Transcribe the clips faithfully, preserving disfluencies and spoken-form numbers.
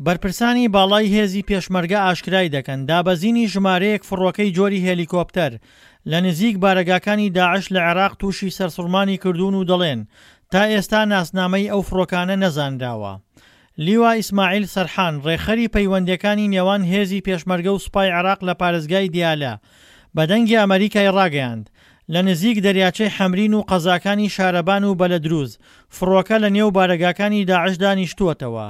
بەرپرسانی باڵای هێزی پێشمەرگە ئاشکرای دەکەن، دابەزینی ژمارەیەک فڕۆکەی جۆری هێلیکۆپتەر لە نزیک بارەگاکانی داعش لە عێراق تووشی سەرسوڕمانی کردوون و دەڵێن، تا ئێستا ناسنامەی ئەو فڕۆکانە نەزانراوە. لیوا ئیسماعیل سەرحان، ڕێکخەری پەیوەندییەکانی نێوان هێزی پێشمەرگە و سوپای عێراق لە پارێزگای دیالە، بە دەنگی ئەمەریکای ڕاگەیاند، لە نزیک دەریاچەی حەمرین و قەزاکانی شارەبان و بەلەدروز، فڕۆکە لە نێو بارەگاکانی داعشدا نیشتووەتەوە.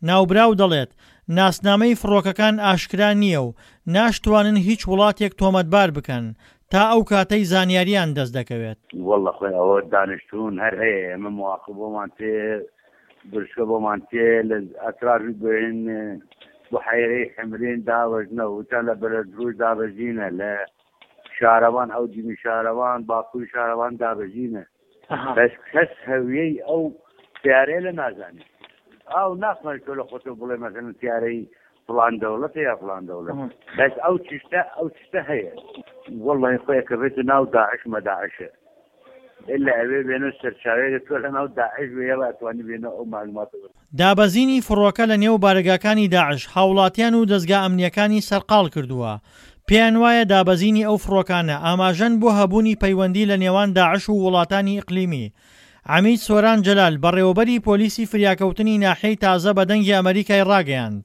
ناوبراو دەڵێت، ناسنامەی فڕۆکەکان ئاشکرا نییە و ناشتوانن هیچ وڵاتێک تۆمەتبار بکەن تا ئەو کاتەی زانیارییان دەست دەکەوێت. واللە خۆی ئەوە دانیشتوون هەر هەیە ئێمە مواقف بۆمان تێ برشکە بۆمان تێ لە ئەترافی بین بحەیرەی حمرین داوەژنە وتان لە بەلەدروش دابەزینە لە شارەوان ئەو دیمی شارەوان باکووری شارەوان دابەزینە بەس کەس هەویەی ئەو تیارەیە لە نازانێت ئاو ناتوانێت تۆ لە خۆتەوە بڵێ مەسەلەن تیارەی فڵان دەوڵەتە یا فڵان دەوڵەت بەس ئەو چشتە ئەو چشتە هەیە واللهی خۆی کە بێتە ناو داعش مەداعشە ئللا ئەوێ بێنە سەرچاوەیەک تۆ لە ناو داعش بێ یەڵا ئەتوانی بێنە ئەو معلوماتە بە دابەزینی فڕۆکە لە نێو بارەگاکانی داعش هاوڵاتیان و دەزگا ئەمنییەکانی سەرقاڵ کردووە، پێیان وایە دابەزینی ئەو فڕۆکانە ئاماژەن بۆ هەبوونی پەیوەندی لە نێوان داعش و وڵاتانی ئیقلیمی. عەمید سۆران جەلال، بەڕێوەبەری پۆلیسی فریاکەوتنی ناحیەی تازە بە دەنگی ئەمەریکای ڕاگەیاند،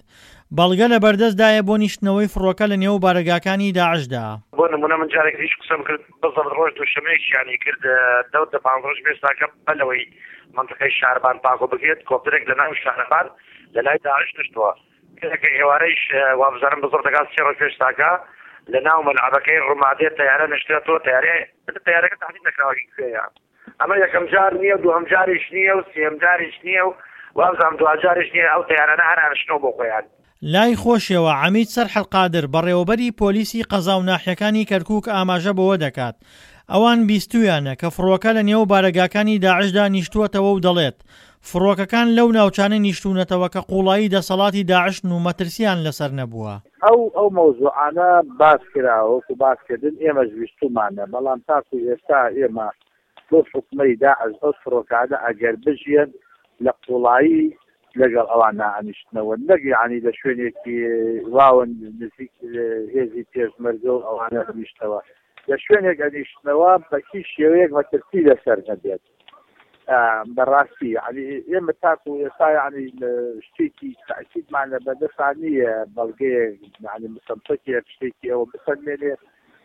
بەڵگە لەبەردەستدایە بۆ نیشتنەوەی فڕۆکە لە نێو بارەگاکانی داعشدا. بۆ نمونە من جارێک هیچ قسەم کرد بزەبت ڕۆژ دووشەمەیەکیانی کرد دەوت دە پانزە ڕۆژ بێستاکە بە لەوەی منطقەی شاربان پاکۆ بکرێت کۆپتەرێک لە ناو شاربان لە لای داعش نشتووە کە ئێوارەیش وابزانم بزەبت دەکات سێ ڕۆژ پێش تاکە لە ناو مەلعەبەکەی ڕمادێ تەیارە نشتێتەوە تەیارە تەیارەکە تحدید نەکراوە کوێیە ئەمە یەکەم جار نییە و دووەم جاریش نییە و سێم جاریش نییە و وابزانم دواجاریش نییە ئەو تەیارانە هەر ئەنشتنەوە بۆ خۆیان. لای خۆشیەوە عەمید سەرحەد قادر، بەڕێوەبەری پۆلیسی قەزا و ناحیەکانی کەرکوک ئاماژە بەوە دەکات، ئەوان بیستوویانە کە فڕۆکە لە نێو بارەگاکانی داعشدا نیشتووەتەوە و دەڵێت، فڕۆکەکان لەو ناوچانە نیشتوونەتەوە کە قووڵایی دەسەڵاتی داعشن و مەترسییان لەسەر نەبووە. ئەو ئەو مەوزوعانە باس کراوە وەکو باس کردن ئێمەش ویستومانە بەڵام تاکو ئێستا ئێمە بەو حوکمەی داعش ئەو فڕۆکانە ئەگەر بژیەن لە قوڵایی لەگەڵ ئەوان نائەنیشتنەوە نەک یانی لە شوێنێکی واوە نزیک هێزی پێشمەرگە و ئەوانە بنیشتەوە لە شوێنێک ئەنیشتنەوە بە هیچ شێوەیەک مەترسی لەسەر نەبێت بەڕاستی یعنی ئێمە تاکو ئێستا یعنی شتێکی تاکیدمان لە بەردەستا نییە بەڵگەیەک یعنی مسەمسەکێک شتێکی ئەوە بسەلمێنێ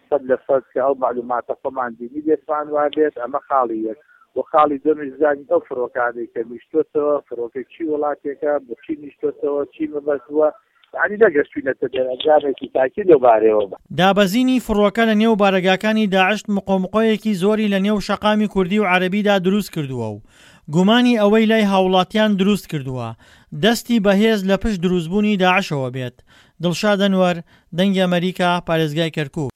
سەد لە سەد کە ئەو مەعلوماتە خۆمان دینی بێتمان وابێت ئەمە خاڵی یەک و خاڵی دووەمیش بزانین ئەو فڕۆکانەی کە نیشتۆتەوە فڕۆکەی چی وڵاتێکە بۆچی نیشتۆتەوە چی مەبەست بووە یانی نەگەشتوینەتە دەرئەنجامێکی تاکی لەو بارەیەوە. دابەزینی فڕۆکە لە نێو بارەگاکانی داعش مقۆمقۆیەکی زۆری لە نێو شەقامی کوردی و عەرەبیدا دروست کردووە و گومانی ئەوەی لای هاوڵاتیان دروست کردووە دەستی بەهێز لە پشت دروستبوونی داعشەوە بێت. دڵشاد ئەنوەر، دەنگی ئەمەریکا، پارێزگای کەرکوک.